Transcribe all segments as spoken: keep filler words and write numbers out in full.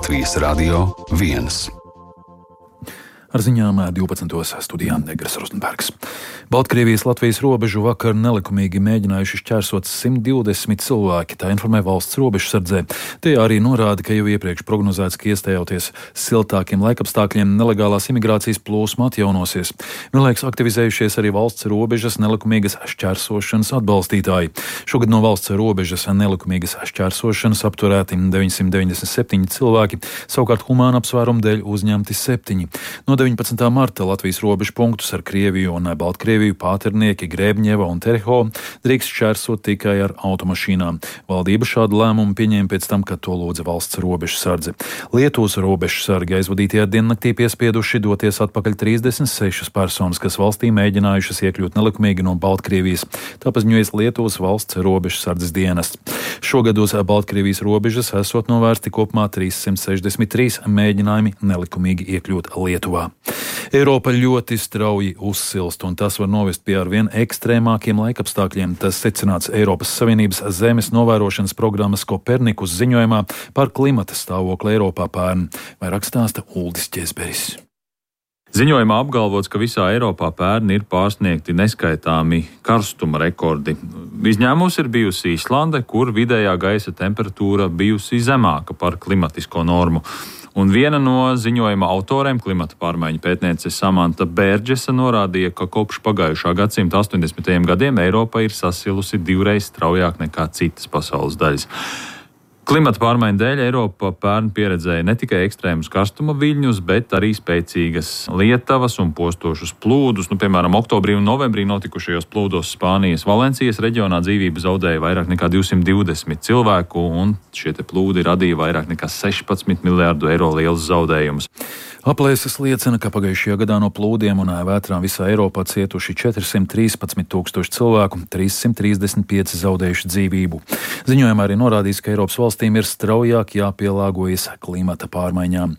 Latvijas Radio viens. Ar ziņām divpadsmitos studijā Negras Rozenbergs. Baltkrievijas-Latvijas robežu vakar nelikumīgi mēģinājuši šķērsot simt divdesmit cilvēki, tā informē valsts robežsardzē. Te arī norāda, ka jau iepriekš prognozēts, ka iestājoties siltākiem laikapstākļiem nelegālās imigrācijas plūsma atjaunosies. Vienlaikus aktivizējušies arī valsts robežas nelikumīgas šķērsošanas atbalstītāji. Šogad no valsts robežas nelikumīgas šķērsošanas apturēti deviņsimt deviņdesmit septiņi cilvēki, savukārt humāna apsvērumu dēļ uzņemti septiņi. No deviņpadsmitā marta Latvijas robežu punktus ar Krieviju un Baltkrieviju pāternieki Grēbņeva un Tereho drīkst šķērsot tikai ar automašīnām. Valdība šādu lēmumu pieņēma pēc tam, kad to lūdza valsts robežsardze. Lietuvas robežsargi aizvadītajā diennaktī piespieduši doties atpakaļ trīsdesmit sešas personas, kas valstī mēģinājušas iekļūt nelikumīgi no Baltkrievijas. Tā paziņojas Lietuvas valsts robežsardzes dienests. Šogad uz Baltkrievijas robežas esot novērsti kopumā trīssimt sešdesmit trīs mēģinājumi nelikumīgi iekļūt Lietuvā. Eiropa ļoti strauji uzsilst, un tas var novest pie arvien ekstrēmākiem laikapstākļiem. Tas secināts Eiropas Savienības zemes novērošanas programmas Kopernikus ziņojumā par klimata stāvokli Eiropā pērn. Vairāk stāsta Uldis Ķezberis. Ziņojumā apgalvots, ka visā Eiropā pērn ir pārsniegti neskaitāmi karstuma rekordi. Izņēmums ir bijusi Īslande, kur vidējā gaisa temperatūra bijusi zemāka par klimatisko normu. Un viena no ziņojuma autoriem, klimata pārmaiņu pētniece Samanta Bērģesa, norādīja, ka kopš pagājušā gadsimta astoņdesmitajiem gadiem Eiropa ir sasilusi divreiz straujāk nekā citas pasaules daļas. Klimata pārmaiņu dēļ Eiropa pērn pieredzēja ne tikai ekstrēmus karstuma viļņus, bet arī spēcīgas lietavas un postošus plūdus. Nu, piemēram, oktobrī un novembrī notikušajos plūdos Spānijas Valencijas reģionā dzīvību zaudēja vairāk nekā divsimt divdesmit cilvēku, un šie te plūdi radīja vairāk nekā sešpadsmit miljārdu eiro lielus zaudējumus. Aplēses liecina, ka pagājušajā gadā no plūdiem un vētrām visā Eiropā cietuši četrsimt trīspadsmit tūkstoši cilvēku, trīssimt trīsdesmit pieci zaudējuši dzīvību. Ziņojumā arī norādīts, ka Eiropas valstīm ir straujāk jāpielāgojas klimata pārmaiņām.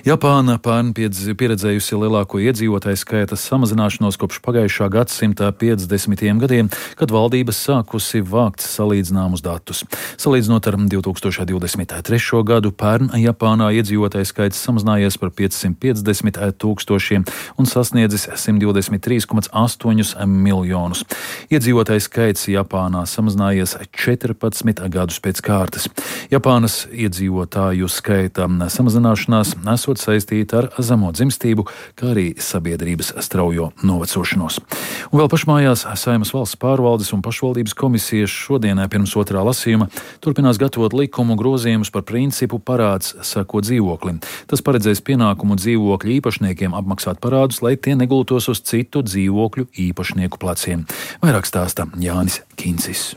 Japāna pērn pieredzējusi lielāko iedzīvotāju skaita samazināšanos kopš pagājušā gadsimta piecdesmitajiem gadiem, kad valdības sākusi vākt salīdzināmus datus. Salīdzinot ar divi tūkstoši divdesmit trešo gadu, pērn Japānā iedzīvotāju skaits samazinājies par piecsimt piecdesmit tūkstošiem un sasniedzis simt divdesmit trīs komats astoņi miljonus. Iedzīvotāju skaits Japānā samazinājies četrpadsmit gadus pēc kārtas. Japānas iedzīvotāju skaita samazināšanās esot saistīta ar zemo dzimstību, kā arī sabiedrības straujo novecošanos. Un vēl pašmājās Saeimas valsts pārvaldes un pašvaldības komisijas šodienai pirms otrā lasījuma turpinās gatavot likumu grozījumus par principu parāds sako dzīvoklim. Tas paredzēs pienākumu dzīvokļu īpašniekiem apmaksāt parādus, lai tie negultos uz citu dzīvokļu īpašnieku pleciem. Vairāk stāsta Jānis Kincis.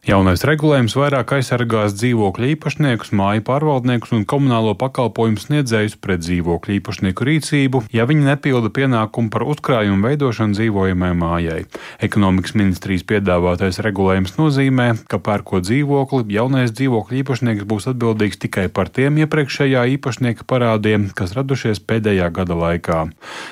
Jaunais regulējums vairāk aizsargās dzīvokļu īpašniekus, māju pārvaldniekus un komunālo pakalpojumu sniedzējus pret dzīvokļu īpašnieku rīcību, ja viņi nepilda pienākumu par uzkrājumu veidošanu dzīvojamai mājai. Ekonomikas ministrijas piedāvātais regulējums nozīmē, ka pērkot dzīvokli, jaunais dzīvokļu īpašnieks būs atbildīgs tikai par tiem iepriekšējā īpašnieka parādiem, kas radušies pēdējā gada laikā.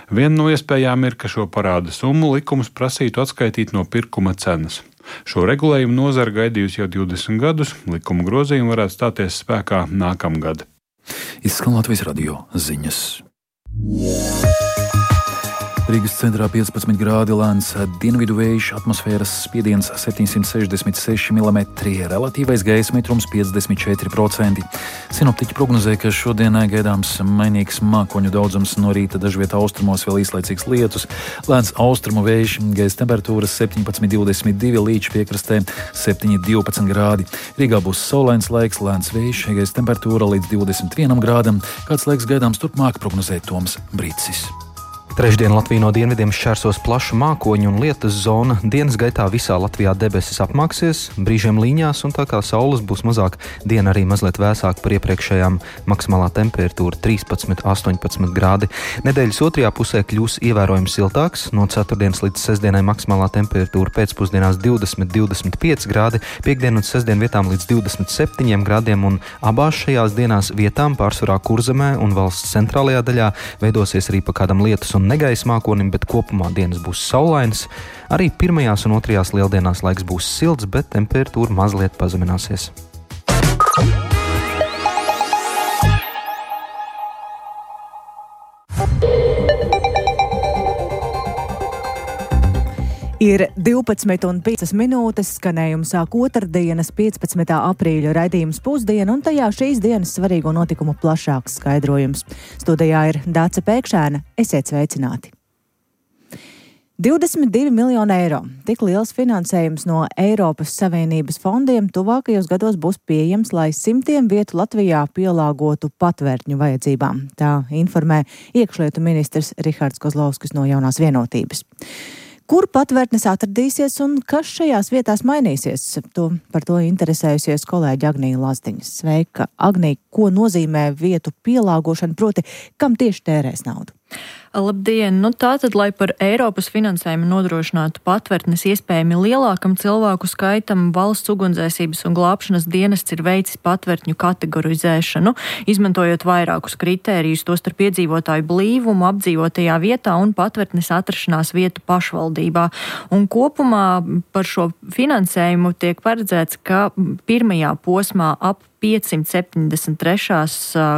Viena no iespējām ir, ka šo parāda summu likums prasītu atskaitīt no pirkuma cenas. Šo regulējumu nozara gaidījusi jau divdesmit gadus, likuma grozījumi varētu stāties spēkā nākamgad. Izskan Latvijas radio ziņas. Rīgas centrā piecpadsmit grādi, lēns dienvidu vējš, atmosfēras spiediens septiņsimt sešdesmit seši milimetri, relatīvais gaisa mitrums piecdesmit četri procenti. Sinoptiķi prognozē, ka šodienai gaidāms mainīgs mākoņu daudzums, no rīta dažviet austrumos vēl īslaicīgs lietus, lēns austrumu vējš, gaisa temperatūras septiņpadsmit divdesmit divi, līdz piekrastē septiņi divpadsmit grādi. Rīgā būs saulains laiks, lēns vējš, gaisa temperatūra līdz divdesmit vienam grādam. Kāds laiks gaidāms turpmāk, prognozē Toms Brīcis. Trešdien Latviju no dienvidiem šķērsos plaša mākoņu un lietus zona. Dienas gaitā visā Latvijā debesis apmāksies, brīžiem līņās, un tā kā saules būs mazāk, diena arī mazliet vēsāka par iepriekšējām. Maksimālā temperatūra trīspadsmit astoņpadsmit grādi. Nedēļas otrajā pusē kļūs ievērojami siltāks. No ceturtdienas līdz sestdienai maksimālā temperatūra pēcpusdienās divdesmit divdesmit pieci grādi, piektdien un sestdien vietām līdz divdesmit septiņiem grādiem, un abās šajās dienās vietām pārsvarā Kurzemē un valsts centrālajā daļā veidosies arī pa kādam lietus un negaisa mākonim, bet kopumā dienas būs saulains. Arī pirmajās un otrajās lieldienās laiks būs silts, bet temperatūra mazliet pazemināsies. divpadsmit un piecas minūtes skanējumu sāk otrdienas piecpadsmitā aprīļa raidījums Pusdiena, un tajā šīs dienas svarīgo notikumu plašāks skaidrojums. Studijā ir Dāce Pēkšēna. Esiet sveicināti! divdesmit divi miljoni eiro. Tik liels finansējums no Eiropas Savienības fondiem tuvākajos gados būs pieejams, lai simtiem vietu Latvijā pielāgotu patvērtņu vajadzībām. Tā informē iekšlietu ministrs Rihards Kozlovskis no Jaunās Vienotības. Kur patvērtnes atradīsies un kas šajās vietās mainīsies? To, par to interesējusies kolēģi Agnija Lazdiņa. Sveika, Agnija, ko nozīmē vietu pielāgošana, proti, kam tieši tērēs naudu? Labdien! Nu tātad, lai par Eiropas finansējumu nodrošinātu patvērtnes iespējami lielākam cilvēku skaitam, valsts ugunsdzēsības un glābšanas dienests ir veicis patvērtņu kategorizēšanu, izmantojot vairākus kritērijus, tostarp iedzīvotāju blīvumu, apdzīvotajā vietā un patvērtnes atrašanās vietu pašvaldībā. Un kopumā par šo finansējumu tiek paredzēts, ka pirmajā posmā ap piecsimt septiņdesmit trešās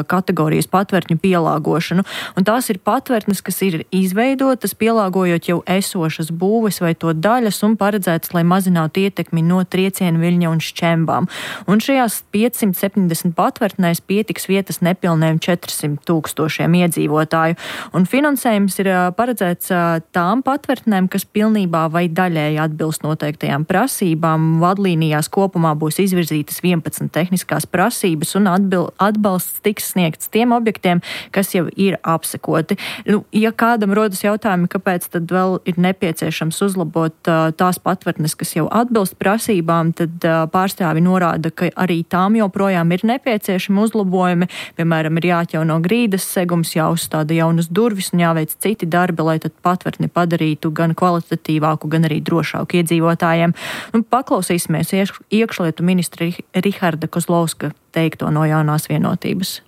kategorijas patvērtņu pielāgošanu, un tās ir patvērtnes, kas ir izveidotas, pielāgojot jau esošas būves vai to daļas un paredzētas, lai mazinātu ietekmi no triecienu viļņa un šķembām. Un šajās piecsimt septiņdesmit patvērtnēs pietiks vietas nepilniem četrsimt tūkstošiem iedzīvotāju, un finansējums ir paredzēts tām patvērtnēm, kas pilnībā vai daļēji atbilst noteiktajām prasībām. Vadlīnijās kopumā būs izvirzītas vienpadsmit tehniskās prasības un atbil, atbalsts tiks sniegts tiem objektiem, kas jau ir apsekoti. Nu, ja kādam rodas jautājumi, kāpēc tad vēl ir nepieciešams uzlabot uh, tās patvērtnes, kas jau atbilst prasībām, tad uh, pārstāvi norāda, ka arī tām joprojām ir nepieciešami uzlabojumi. Piemēram, ir jāatjauno grīdas segums, jāuzstāda jaunas durvis un jāveic citi darbi, lai tad patvērtni padarītu gan kvalitatīvāku, gan arī drošāku iedzīvotājiem. Un paklausīsimies iekšlietu ministra Riharda Kozlovska teikto no Jaunās Vienotības.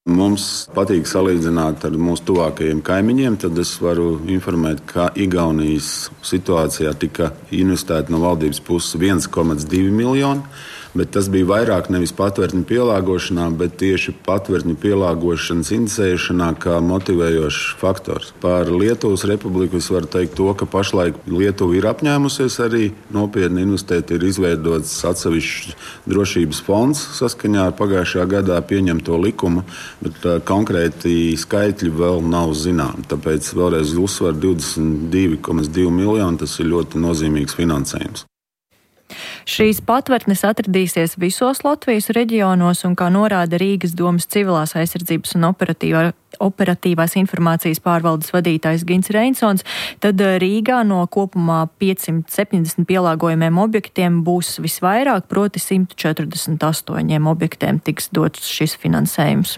Mums patīk salīdzināt ar mūsu tuvākajiem kaimiņiem, tad es varu informēt, ka Igaunijas situācijā tika investēta no valdības puses viens komats divi miljoni, bet tas bija vairāk nevis patvērtņu pielāgošanā, bet tieši patvērtņu pielāgošanas inicēšanā kā motivējošs faktors. Par Lietuvas republiku es varu teikt to, ka pašlaik Lietuva ir apņēmusies arī nopietni investēt, ir izveidots atsevišķs drošības fonds saskaņā ar pagājušajā gadā pieņemto likumu, bet uh, konkrēti skaitļi vēl nav zināmi. Tāpēc vēlreiz uzsver divdesmit divi komats divi miljoni, tas ir ļoti nozīmīgs finansējums. Šīs patvērtnes atradīsies visos Latvijas reģionos, un kā norāda Rīgas domas civilās aizsardzības un operatīvā, operatīvās informācijas pārvaldes vadītājs Gins Reinsons, tad Rīgā no kopumā piecsimt septiņdesmit pielāgojumiem objektiem būs visvairāk, proti simt četrdesmit astoņiem objektiem tiks dots šis finansējums.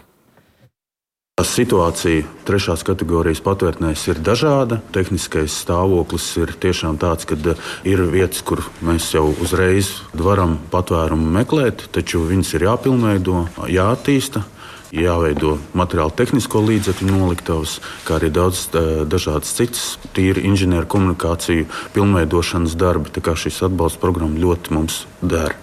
Situācija trešās kategorijas patvērtnēs ir dažāda. Tehniskais stāvoklis ir tiešām tāds, ka ir vietas, kur mēs jau uzreiz varam patvērumu meklēt, taču viņas ir jāpilnveido, jāattīsta, jāveido materiāli tehnisko līdzekļu noliktavas, kā arī daudz dažādas citas tīri inženieru komunikāciju pilnveidošanas darbi. Tā kā šis atbalsta programma ļoti mums der.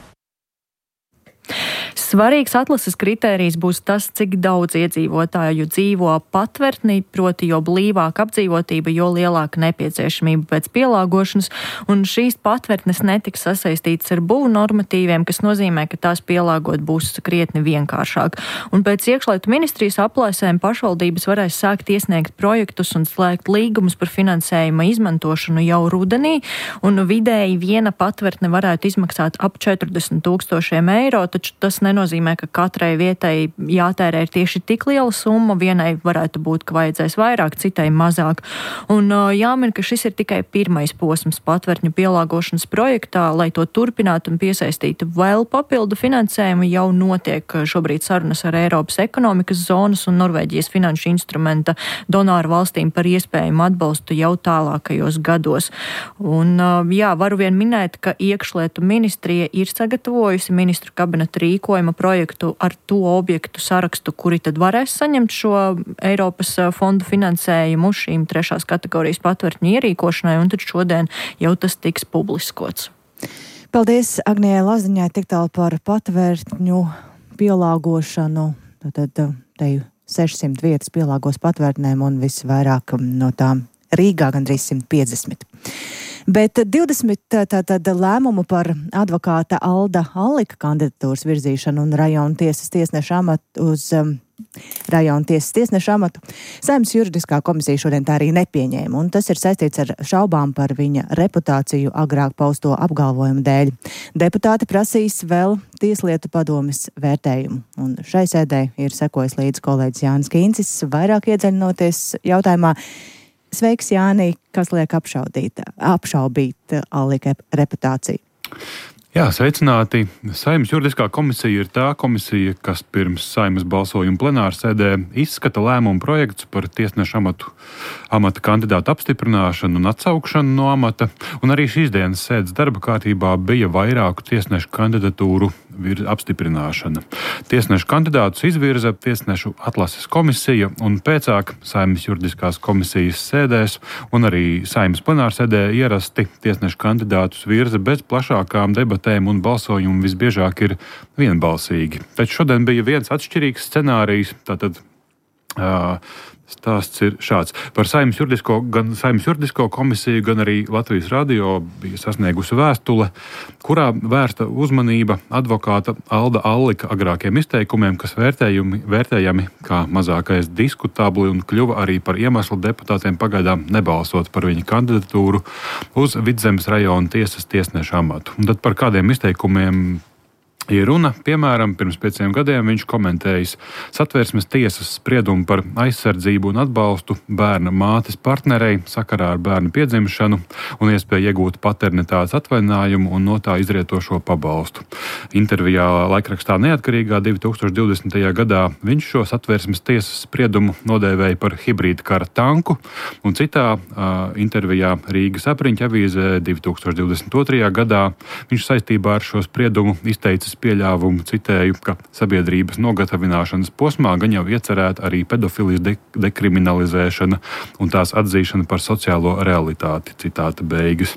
Svarīgs atlases kritērijs būs tas, cik daudz iedzīvotāju dzīvo patvērtnī, proti jo blīvāka apdzīvotība, jo lielāka nepieciešamība pēc pielāgošanas, un šīs patvērtnes netiks sasaistītas ar būvu normatīviem, kas nozīmē, ka tās pielāgot būs krietni vienkāršāk. Un pēc iekšlietu ministrijas aplēsēm pašvaldības varēs sākt iesniegt projektus un slēgt līgumus par finansējuma izmantošanu jau rudenī, un vidēji viena patvērtne varētu izmaksāt ap četrdesmit tūkstošiem eiro, taču tas nenozīmē, ka katrai vietai jātērē ir tieši tik liela summa, vienai varētu būt, ka vajadzēs vairāk, citai mazāk. Un jāmin, ka šis ir tikai pirmais posms patvērtņu pielāgošanas projektā, lai to turpinātu un piesaistītu vēl papildu finansējumu, jau notiek šobrīd sarunas ar Eiropas ekonomikas zonas un Norvēģijas finanšu instrumenta donāru valstīm par iespējumu atbalstu jau tālākajos gados. Un jā, varu vien minēt, ka iekšlietu ministrija ir sagatavojusi ministru kabineta rīkojuma projektu ar to objektu sarakstu, kuri tad varēs saņemt šo Eiropas fondu finansējumu šīm trešās kategorijas patvērtņu ierīkošanai, un tad šodien jau tas tiks publiskots. Paldies Agnijai Lazdiņai tik tālu par patvērtņu pielāgošanu. Tad te sešsimt vietas pielāgos patvērtnēm un visvairāk no tām Rīgā gandrīz simt piecdesmit. Bet divdesmit tātad lēmumu par advokāta Alda Allika kandidatūras virzīšanu un rajona tiesas tiesneša amatu uz um, rajona tiesas tiesneša amatu Saeimas juridiskā komisija šodien tā arī nepieņēma, un tas ir saistīts ar šaubām par viņa reputāciju agrāk pausto apgalvojumu dēļ. Deputāti prasīs vēl Tieslietu padomes vērtējumu, un šai sēdē ir sekojis līdzi kolēģis Jānis Kīncis, vairāk iedziļinoties jautājumā. Sveiks, Jāni, kas liek apšaudīt, apšaubīt Allika reputāciju? Jā, sveicināti. Saeimas juridiskā komisija ir tā komisija, kas pirms Saeimas balsojuma plenārsēdē izskata lēmumu projektus par tiesnešu amatu, amata kandidātu apstiprināšanu un atsaukšanu no amata, un arī šīs dienas sēdes darba kārtībā bija vairāku tiesnešu kandidatūru apstiprināšana. Tiesnešu kandidātus izvirza tiesnešu atlases komisija, un pēcāk Saeimas juridiskās komisijas sēdēs un arī Saeimas plenārsēdē ierasti tiesnešu kandidātus virza bez plašākām debatēm, un balsojumi visbiežāk ir vienbalsīgi. Taču šodien bija viens atšķirīgs scenārijs, tātad uh, stāsts ir šāds. Par Saeimas juridisko, gan Saeimas juridisko komisiju, gan arī Latvijas radio bija sasniegusi vēstule, kurā vērsta uzmanība advokāta Alda Allika agrākiem izteikumiem, kas vērtējumi, vērtējami kā mazākais diskutabli un kļuva arī par iemeslu deputātiem pagaidām nebalsot par viņa kandidatūru uz Vidzemes rajona tiesas tiesneša amatu. Un tad par kādiem izteikumiem ir runa. Piemēram, pirms pieciem gadiem viņš komentējis Satversmes tiesas spriedumu par aizsardzību un atbalstu bērna mātes partnerei sakarā ar bērnu piedzimšanu un iespēju iegūt paternitātes atvaļinājumu un no tā izrietošo pabalstu. Intervijā laikrakstā Neatkarīgā divi tūkstoši divdesmitajā gadā viņš šo Satversmes tiesas spriedumu nodēvēja par hibrīda kara tanku, un citā uh, intervijā Rīgas apriņķa avīzē divi tūkstoši divdesmit otrajā gadā viņš saistībā ar šo spriedumu izteicis pieļāvumu, citēju, ka sabiedrības nogatavināšanas posmā gan jau iecerēta arī pedofilijas de- dekriminalizēšana un tās atzīšana par sociālo realitāti. Citāta beigas.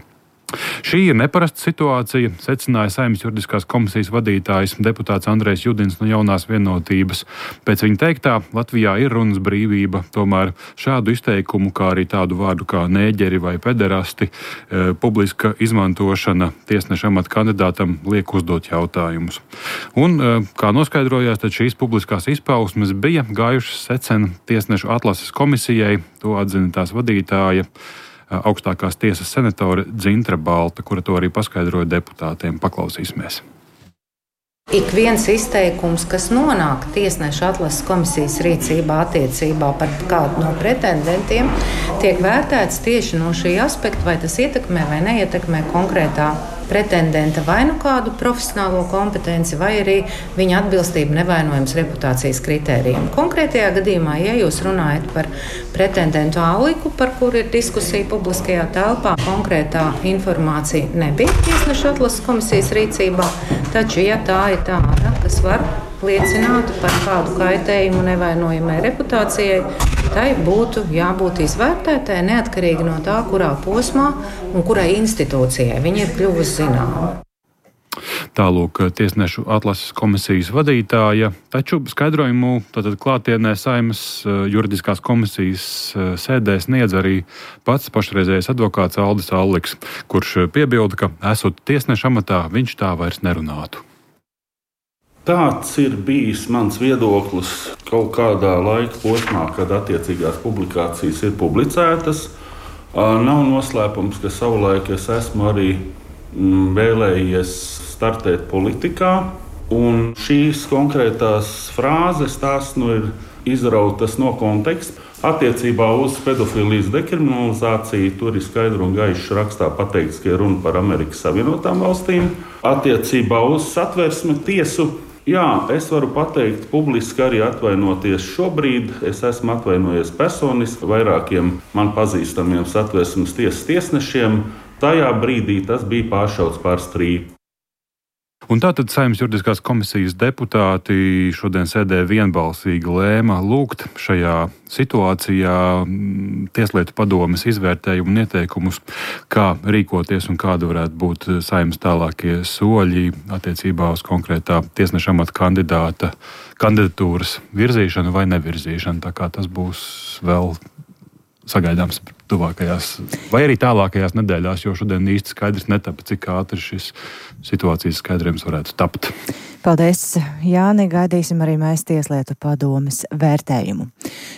Šī ir neparasta situācija, secināja Saeimas juridiskās komisijas vadītājs deputāts Andrejs Judins no Jaunās vienotības. Pēc viņa teiktā, Latvijā ir runas brīvība, tomēr šādu izteikumu, kā arī tādu vārdu kā nēģeri vai pederasti, e, publiska izmantošana tiesneša amata kandidātam liek uzdot jautājumus. Un, e, kā noskaidrojās, tad šīs publiskās izpausmes bija gājušas secen tiesnešu atlases komisijai, to atzina tās vadītāja, augstākās tiesas senatore Dzintra Balta, kura to arī paskaidroja deputātiem. Paklausīsimies. Ik viens izteikums, kas nonāk tiesneša atlases komisijas rīcībā attiecībā par kādu no pretendentiem, tiek vērtēts tieši no šī aspekta, vai tas ietekmē vai neietekmē konkrētā pretendenta vai nu kādu profesionālo kompetenci, vai arī viņa atbilstību nevainojams reputācijas kritērijiem. Konkrētajā gadījumā, ja jūs runājat par pretendentu Alliku, par kuru ir diskusija publiskajā telpā, konkrētā informācija nebija tiesneša atlases komisijas rīcībā, taču, ja tā ir tāda, kas var liecināt par kādu kaitējumu nevainojamai reputācijai, tai būtu jābūt izvērtētai neatkarīgi no tā, kurā posmā un kurai institūcijai viņa ir kļuvusi zināma. Tālūk tiesnešu atlases komisijas vadītāja, taču skaidrojumu tātad klātienē Saeimas juridiskās komisijas sēdē sniedz arī pats pašreizējais advokāts Aldis Alliks, kurš piebilda, ka esot tiesneša amatā, viņš tā vairs nerunātu. Tāds ir bijis mans viedoklis kaut kādā laika posmā, kad attiecīgās publikācijas ir publicētas. Nav noslēpums, ka savulaik es esmu arī vēlējies startēt politikā, un šīs konkrētās frāzes tās nu ir izrautas no konteksta. Attiecībā uz pedofilijas dekriminalizāciju tur ir skaidri un gaiši rakstā pateikts, ka ir runa par Amerikas Savienotām valstīm. Attiecībā uz Satversmi tiesu, jā, es varu pateikt publiski arī atvainoties šobrīd. Es esmu atvainojies personiski vairākiem man pazīstamiem Satversmes tiesas tiesnešiem. Tajā brīdī tas bija pāršauts pār strīpu. Un tātad Saeimas juridiskās komisijas deputāti šodien sēdē vienbalsīgi lēma lūgt šajā situācijā Tieslietu padomes izvērtējumu un ieteikumus, kā rīkoties un kāda varētu būt Saeimas tālākie soļi attiecībā uz konkrētā tiesneša amata kandidāta kandidatūras virzīšanu vai nevirzīšanu. Tā kā tas būs vēl sagaidāms tuvākajās vai arī tālākajās nedēļās, jo šodien īsti skaidrs netapa, cik ātri šis situācijas skaidrojums varētu tapt. Paldies, Jāni, gaidīsim arī mēs Tieslietu padomes vērtējumu.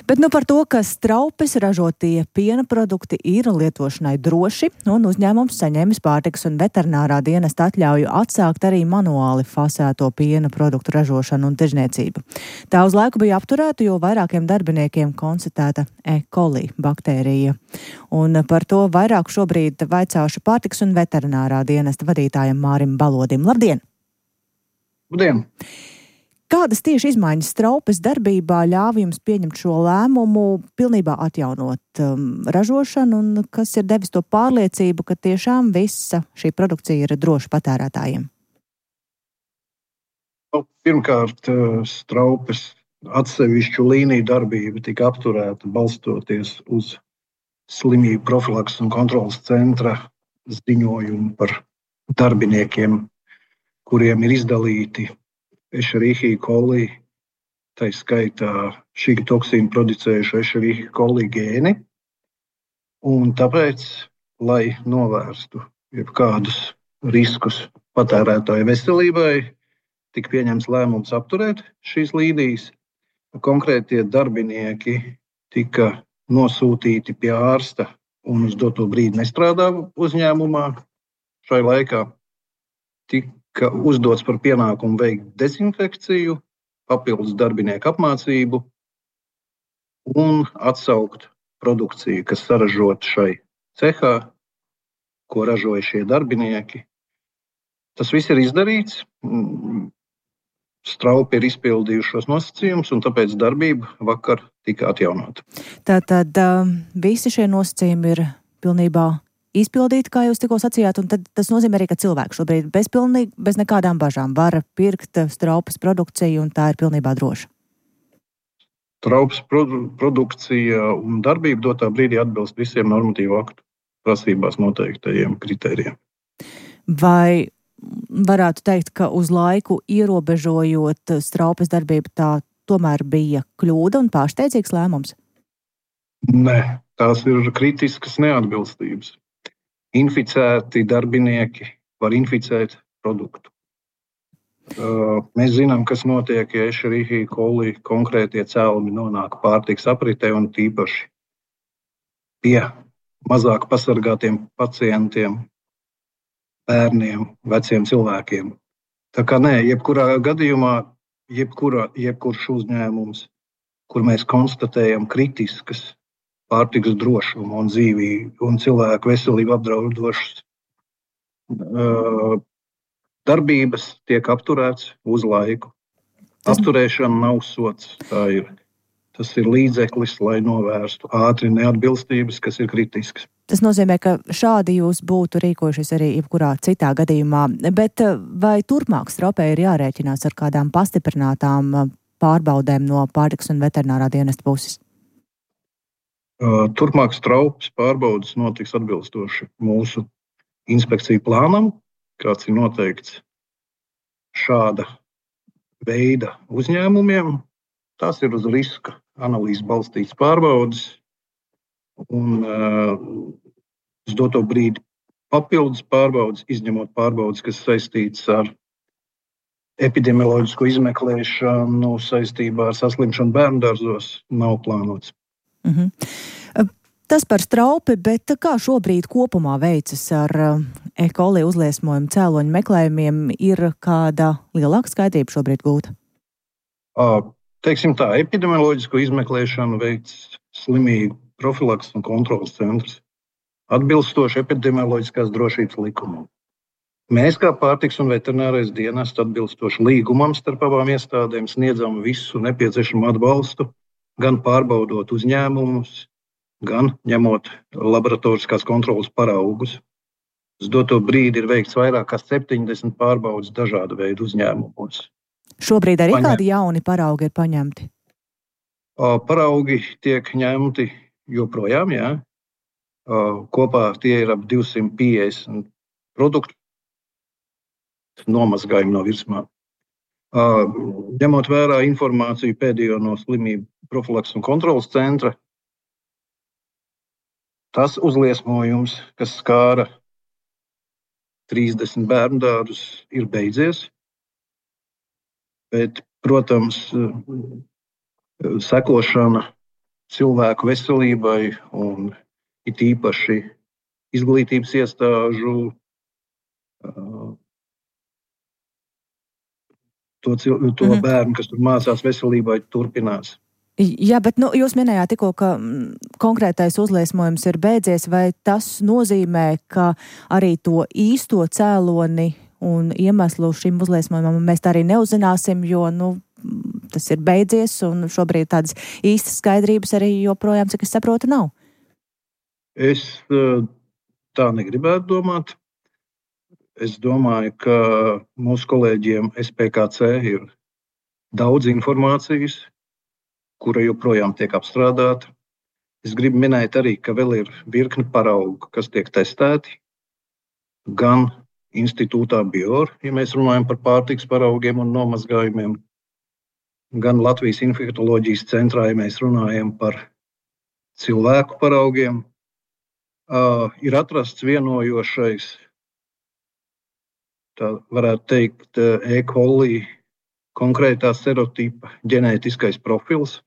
Bet nu par to, ka Straupes ražotie piena produkti ir lietošanai droši, un uzņēmums saņēmis pārtikas un veterinārā dienesta atļauju atsākt arī manuāli fasēto piena produktu ražošanu un tirzniecību. Tā uz laiku bija apturēta, jo vairākiem darbiniekiem konstatēta E. coli baktērija. Un par to vairāk šobrīd vaicāšu pārtikas un veterinārā dienesta vadītājam Mārim Balodim. Labdien! Labdien! Kādas tieši izmaiņas Straupes darbībā ļāva jums pieņemt šo lēmumu, pilnībā atjaunot um, ražošanu, un kas ir devis to pārliecību, ka tiešām visa šī produkcija ir droša patērētājiem? Pirmkārt, Straupes atsevišķu līniju darbība tika apturēta balstoties uz slimību profilakses un kontrolas centra ziņojumu par darbiniekiem, kuriem ir izdalīti Escherichia coli, tā skaitā šī toksīnu producējuši Escherichia coli gēni. Un tāpēc, lai novērstu jebkādus riskus patērētāju veselībai, tika pieņemts lēmums apturēt šīs līnijas. Konkrētie darbinieki tika nosūtīti pie ārsta un uz doto brīdi nestrādā uzņēmumā. Šai laikā tika uzdots par pienākumu veikt dezinfekciju, papildus darbinieku apmācību un atsaukt produkciju, kas saražota šai cehā, ko ražoja šie darbinieki. Tas viss ir izdarīts. Straupi ir izpildījušos nosacījumus, un tāpēc darbība vakar tika atjaunota. Tātad visi šie nosacījumi ir pilnībā izpildīti, kā jūs tikko sacījāt, un tad tas nozīmē arī, ka cilvēki šobrīd bez, pilnīgi, bez nekādām bažām var pirkt Straupes produkciju, un tā ir pilnībā droša. Straupes produ- produkcija un darbība dotā brīdī atbilst visiem normatīvu aktu prasībās noteiktajiem kritērijiem. Vai varētu teikt, ka uz laiku ierobežojot Straupes darbību, tā tomēr bija kļūda un pārsteidzīgs lēmums? Nē, tās ir kritiskas neatbilstības. Inficēti darbinieki var inficēt produktu. Mēs zinām, kas notiek, ja Escherichia coli konkrētie cēlumi nonāk pārtikas apritē un tīpaši pie mazāk pasargātiem pacientiem, bērniem, veciem cilvēkiem. Tā kā nē, jebkurā gadījumā, jebkura, jebkurš uzņēmums, kur mēs konstatējam kritiskas pārtikas drošumu un dzīvību un cilvēku veselību apdraudošas uh, darbības tiek apturēts uz laiku. Apturēšana nav sots. Tā ir, tas ir līdzeklis, lai novērstu ātri neatbilstības, kas ir kritiskas. Tas nozīmē, ka šādi jūs būtu rīkojušies arī jebkurā citā gadījumā. Bet vai turpmāk Straupē ir jārēķinās ar kādām pastiprinātām pārbaudēm no pārtikas un veterinārā dienesta puses? Turpmāk Straupes pārbaudes notiks atbilstoši mūsu inspekciju plānam, kāds ir noteikts šāda veida uzņēmumiem. Tās ir uz riska analīzes balstītas pārbaudes un uh, uz doto brīdi papildus pārbaudes, izņemot pārbaudes, kas saistītas ar epidemioloģisko izmeklēšanu saistībā ar saslimšanu bērndārzos, nav plānots. Uh-huh. Tas par Straupi, bet kā šobrīd kopumā veicas ar E. coli uzliesmojumu cēloņu meklējumiem? Ir kāda lielāka skaidrība šobrīd gūta? Uh, teiksim tā, epidemioloģisko izmeklēšanu veids slimību profilakses un kontrolas centrs atbilstoši epidemioloģiskās drošības likumam. Mēs kā pārtikas un veterinārais dienests atbilstoši līgumam starp abām iestādēm sniedzam visu nepieciešamo atbalstu, gan pārbaudot uzņēmumus, gan ņemot laboratoriskās kontrolas paraugus. Uz doto brīdi ir veikts vairāk kā septiņdesmit pārbaudes dažādu veidu uzņēmumos. Šobrīd arī Paņem... kādi jauni paraugi ir paņemti? Paraugi tiek ņemti joprojām, jā. Kopā tie ir ap divsimt piecdesmit produktu nomazgājumi no virsmām. Ņemot vērā informāciju pēdējo no slimību profilakses un kontrolas centra, tas uzliesmojums, kas skāra trīsdesmit bērnu dārzus, ir beidzies. Bet, protams, sekošana cilvēku veselībai un it īpaši izglītības iestāžu to, to mm-hmm. bērnu, kas tur mācās veselībai, turpinās. Jā, bet nu, jūs minējāt tikko, ka konkrētais uzliesmojums ir beidzies, vai tas nozīmē, ka arī to īsto cēloni un iemeslu šim uzliesmojumam mēs tā arī neuzzināsim, jo nu, tas ir beidzies un šobrīd tādas īstas skaidrības arī joprojām, cik es saprotu, nav? Es tā negribētu domāt. Es domāju, ka mūsu kolēģiem S P K C ir daudz informācijas, kura joprojām tiek apstrādāta. Es gribu minēt arī, ka vēl ir virkni paraugu, kas tiek testēti, gan institūtā Bior, ja mēs runājam par pārtikas paraugiem un nomazgājumiem, gan Latvijas infektoloģijas centrā, ja mēs runājam par cilvēku paraugiem. Uh, ir atrasts vienojošais, tā varētu teikt, E. coli konkrētā serotipa ģenētiskais profils,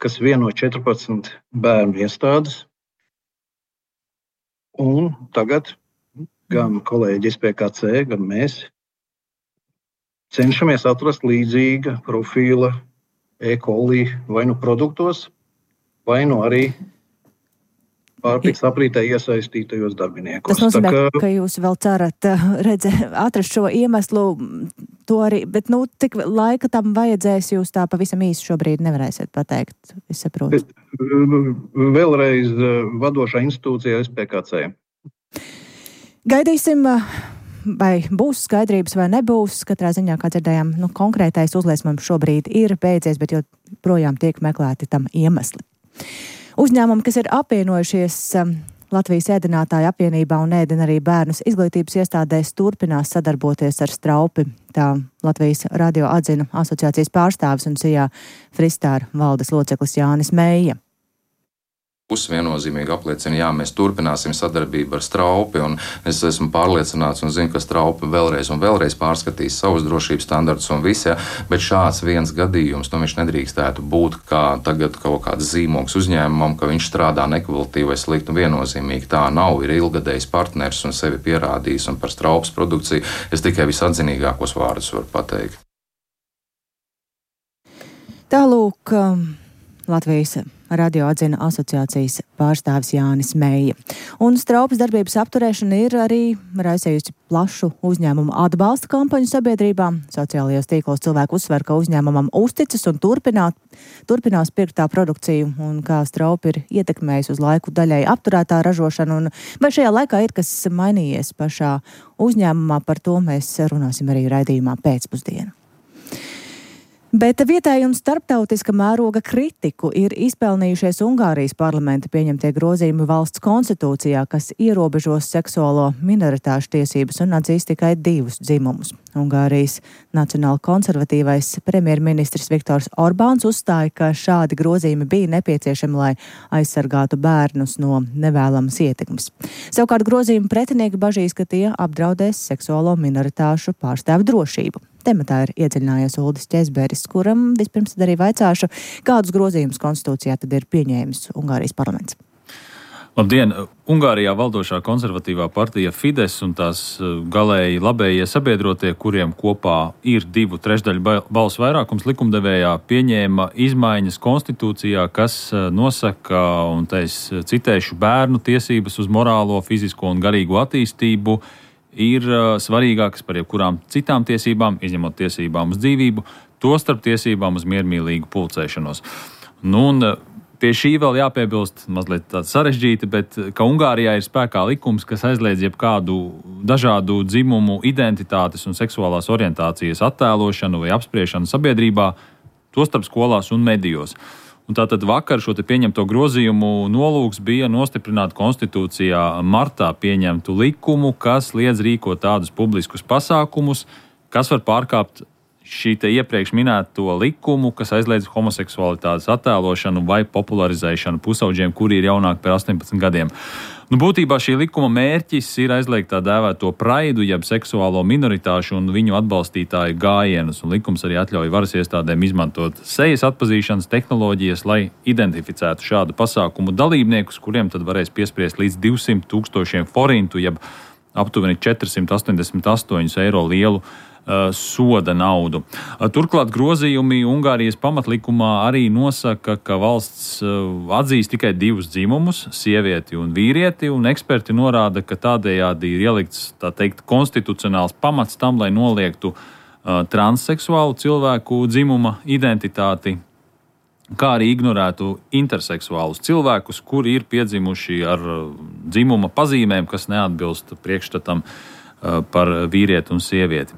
kas vieno četrpadsmit bērnu iestādes. Un tagad gan kolēģi S P K C, gan mēs cenšamies atrast līdzīga profila E. coli vai nu produktos, vai nu arī pārtiks aprītē iesaistītajos darbiniekos. Tas nozīmē, Tā kā... ka jūs vēl cerat redze, atrast šo iemeslu, to arī, bet nu, cik laika tam vajadzēs, jūs tā pavisam īsi šobrīd nevarēsiet pateikt, es saprotu. Vēlreiz vadošā institūcijā S P K C. Gaidīsim, vai būs skaidrības vai nebūs. Katrā ziņā, kā dzirdējām, nu, konkrētais uzliesmojums šobrīd ir beidzies, bet joprojām tiek meklēti tam iemesli. Uzņēmumi, kas ir apvienojušies Latvijas ēdinātāju apvienībā un ēdina arī bērnus izglītības iestādēs, turpinās sadarboties ar Straupi. Tā Latvijas radio atzina asociācijas pārstāvis un Sijā Fristāra valdes loceklis Jānis Meija. Puses viennozīmīgi apliecina, jā, mēs turpināsim sadarbību ar Straupi, un es esmu pārliecināts un zinu, ka Straupi vēlreiz un vēlreiz pārskatīs savus drošības standartus un visu, ja, bet šāds viens gadījums, nu viņš nedrīkstētu būt kā tagad kaut kāds zīmogs uzņēmumam, ka viņš strādā nekvalitatīvi vai slikti, un viennozīmīgi tā nav, ir ilgadējs partners un sevi pierādījis, un par Straupas produkciju es tikai visatzinīgākos vārdus varu pateikt. Tālūk, Latvijas radio atzina asociācijas pārstāvis Jānis Meija. Un Straupas darbības apturēšana ir arī raisījusi plašu uzņēmumu atbalsta kampaņu sabiedrībā. Sociālajos tīklos cilvēku uzsver, ka uzņēmumam uzticas un turpināt, turpinās pirkt tā produkciju, un kā Straupa ir ietekmējusi uz laiku daļai apturētā ražošana, un vai šajā laikā ir kas mainījies pašā uzņēmumā, par to mēs runāsim arī raidījumā pēcpusdienu. Bet vietēji un starptautiska mēroga kritiku ir izpelnījušies Ungārijas parlamenta pieņemtie grozījumi valsts konstitūcijā, kas ierobežos seksuālo minoritāšu tiesības un atzīs tikai divus dzimumus. Ungārijas nacionāli konservatīvais premjerministrs Viktors Orbāns uzstāja, ka šādi grozījumi bija nepieciešami, lai aizsargātu bērnus no nevēlamas ietekmes. Savukārt grozījumi pretinieki bažīs, ka tie apdraudēs seksuālo minoritāšu pārstāvu drošību. Tematā ir iedziļinājies Uldis Ķezberis, kuram vispirms tad arī vaicāšu, kādus grozījumus konstitūcijā tad ir pieņēmis Ungārijas parlaments. Labdien! Ungārijā valdošā konservatīvā partija Fides un tās galēji labējie sabiedrotie, kuriem kopā ir divu trešdaļu balsu vairākums likumdevējā, pieņēma izmaiņas konstitūcijā, kas nosaka, un te es citēšu, bērnu tiesības uz morālo, fizisko un garīgo attīstību ir svarīgākas par jebkurām citām tiesībām, izņemot tiesībām uz dzīvību, tostarp tiesībām uz miermīlīgu pulcēšanos. Nu, un pie šī vēl jāpiebilst mazliet tāds sarežģīti, bet ka Ungārijā ir spēkā likums, kas aizliedz jebkādu dažādu dzimumu, identitātes un seksuālās orientācijas attēlošanu vai apspriešanu sabiedrībā, tostarp skolās un medijos. Un tātad vakar šo te pieņemto grozījumu nolūks bija nostiprināt konstitūcijā martā pieņemtu likumu, kas liedz rīkot tādus publiskus pasākumus, kas var pārkāpt šī te iepriekš minēto likumu, kas aizliedz homoseksualitātes attēlošanu vai popularizēšanu pusauģiem, kuri ir jaunāki par astoņpadsmit gadiem. Nu, būtībā šī likuma mērķis ir aizliegt tā dēvēto praidu, jeb seksuālo minoritāšu un viņu atbalstītāju gājienus, un likums arī atļauj varas iestādēm izmantot sejas atpazīšanas tehnoloģijas, lai identificētu šādu pasākumu dalībniekus, kuriem tad varēs piespriest līdz divsimt tūkstošiem forintu, jeb aptuveni četrsimt astoņdesmit astoņus eiro lielu uh, soda naudu. Uh, turklāt grozījumi Ungārijas pamatlikumā arī nosaka, ka valsts uh, atzīst tikai divus dzimumus, sievieti un vīrieti, un eksperti norāda, ka tādējādi ir ielikts, tā teikt, konstitucionāls pamats tam, lai noliegtu uh, transseksuālu cilvēku dzimuma identitāti, kā arī ignorētu interseksuālus cilvēkus, kuri ir piedzimuši ar dzimuma pazīmēm, kas neatbilst priekšstatam par vīrieti un sievieti.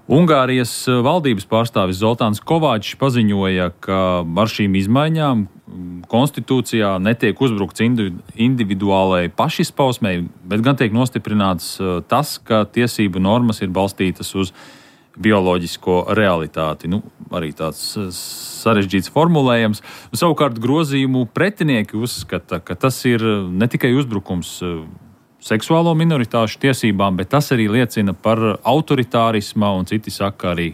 Ungārijas valdības pārstāvis Zoltāns Kovāčs paziņoja, ka ar šīm izmaiņām konstitūcijā netiek uzbrukts individuālai pašizpausmei, bet gan tiek nostiprināts tas, ka tiesību normas ir balstītas uz bioloģisko realitāti. Nu, arī tāds sarežģīts formulējums. Savukārt grozījumu pretinieki uzskata, ka tas ir ne tikai uzbrukums seksuālo minoritāšu tiesībām, bet tas arī liecina par autoritārisma un citi saka arī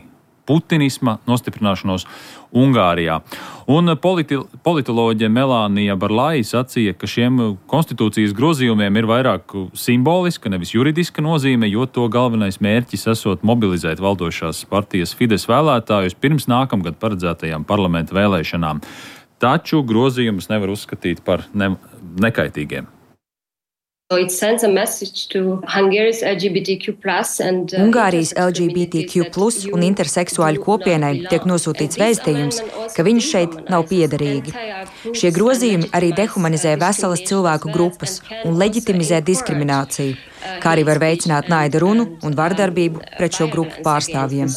putinisma nostiprināšanos Ungārijā. Un politi politoloģe Melānija Barlai sacīja, ka šiem konstitūcijas grozījumiem ir vairāk simboliska, nevis juridiska nozīme, jo to galvenais mērķis esot mobilizēt valdošās partijas Fides vēlētājus pirms nākamgad paredzētajām parlamenta vēlēšanām. Taču grozījumus nevar uzskatīt par ne nekaitīgiem. Ungārijas L G B T Q plus un interseksuāļu kopienai tiek nosūtīts vēstījums, ka viņi šeit nav piederīgi. Šie grozījumi arī dehumanizē veselas cilvēku grupas un leģitimizē diskrimināciju, kā arī var veicināt naida runu un vardarbību pret šo grupu pārstāvjiem.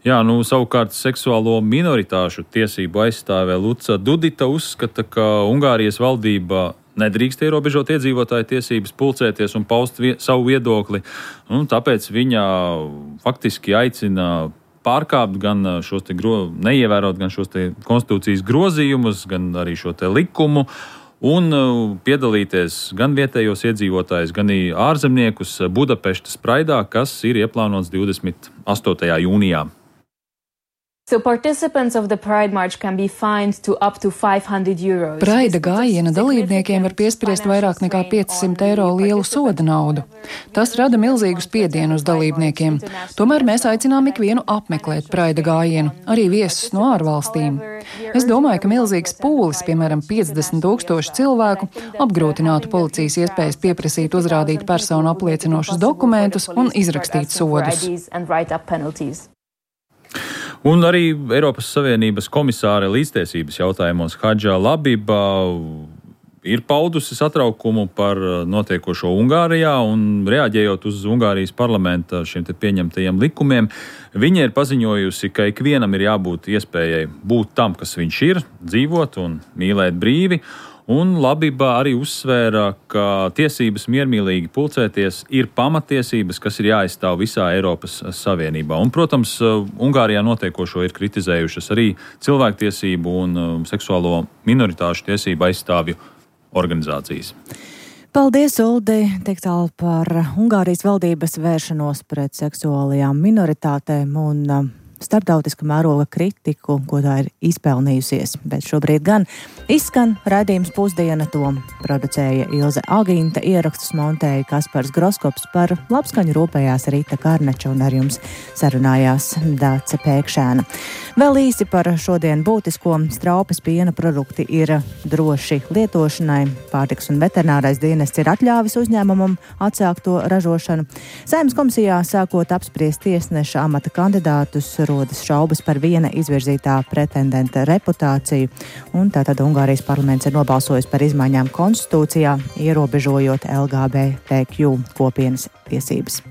Jā, nu, savukārt seksuālo minoritāšu tiesību aizstāvē Luca Dudita uzskata, ka Ungārijas valdība nedrīkst ierobežot iedzīvotāju tiesības pulcēties un paust vie savu viedokli, un tāpēc viņa faktiski aicina pārkāpt gan šos te gro neievērot gan šos te konstitūcijas grozījumus, gan arī šo te likumu, un piedalīties gan vietējos iedzīvotājus, gan arī ārzemniekus Budapeštas praidā, kas ir ieplānots divdesmit astotajā jūnijā. So participants of the Pride March can be fined to up to five hundred euros. Praida gājiena dalībniekiem var piespriest vairāk nekā piecsimt eiro lielu soda naudu. Tas rada milzīgu spiedienu uz dalībniekiem. Tomēr mēs aicinām ikvienu apmeklēt Praida gājienu, arī viesus no ārvalstīm. Es domāju, ka milzīgs pūlis, piemēram, piecdesmit tūkstoši cilvēku, apgrūtinātu policijas iespējas pieprasīt uzrādīt personu apliecinošus dokumentus un izrakstīt sodus. Un arī Eiropas Savienības komisāre līdztiesības jautājumos Hadža Labiba ir paudusi satraukumu par notiekošo Ungārijā un reaģējot uz Ungārijas parlamenta šiem te pieņemtajiem likumiem, viņa ir paziņojusi, ka ikvienam ir jābūt iespējai būt tam, kas viņš ir, dzīvot un mīlēt brīvi. Un Labiba arī uzsvēra, ka tiesības miermīlīgi pulcēties ir pamatiesības, kas ir jāaizstāv visā Eiropas Savienībā. Un, protams, Ungārijā notiekošo ir kritizējušas arī cilvēktiesību un seksuālo minoritāšu tiesību aizstāvju organizācijas. Paldies, Uldi! Tik tālu par Ungārijas valdības vēršanos pret seksuālajām minoritātēm un starptautiska mēroga kritiku, ko tā ir izpelnījusies. Bet šobrīd gan izskan raidījums Pusdiena, to producēja Ilze Agīnta, ierakstus montēja Kaspars Groskops, par labskaņu rūpējās Rīta Karneča un ar jums sarunājās Dāce Pēkšēna. Vēl īsi par šodien būtisko. Straupes piena produkti ir droši lietošanai. Pārtikas un veterinārais dienests ir atļāvis uzņēmumam atsākt to ražošanu. Saeimas komisijā sākot apspriest tiesneša amata kandidātus, rodas šaubas par viena izvirzītā pretendenta reputāciju, un tātad Ungārijas parlaments ir nobalsojis par izmaiņām konstitūcijā, ierobežojot L G B T Q kopienas tiesības.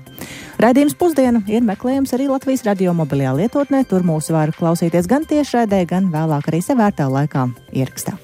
Raidījums Pusdiena ir meklējams arī Latvijas radio mobilajā lietotnē, tur mūs var klausīties gan tiešraidē, gan vēlāk arī sevērtā laikā ierakstā.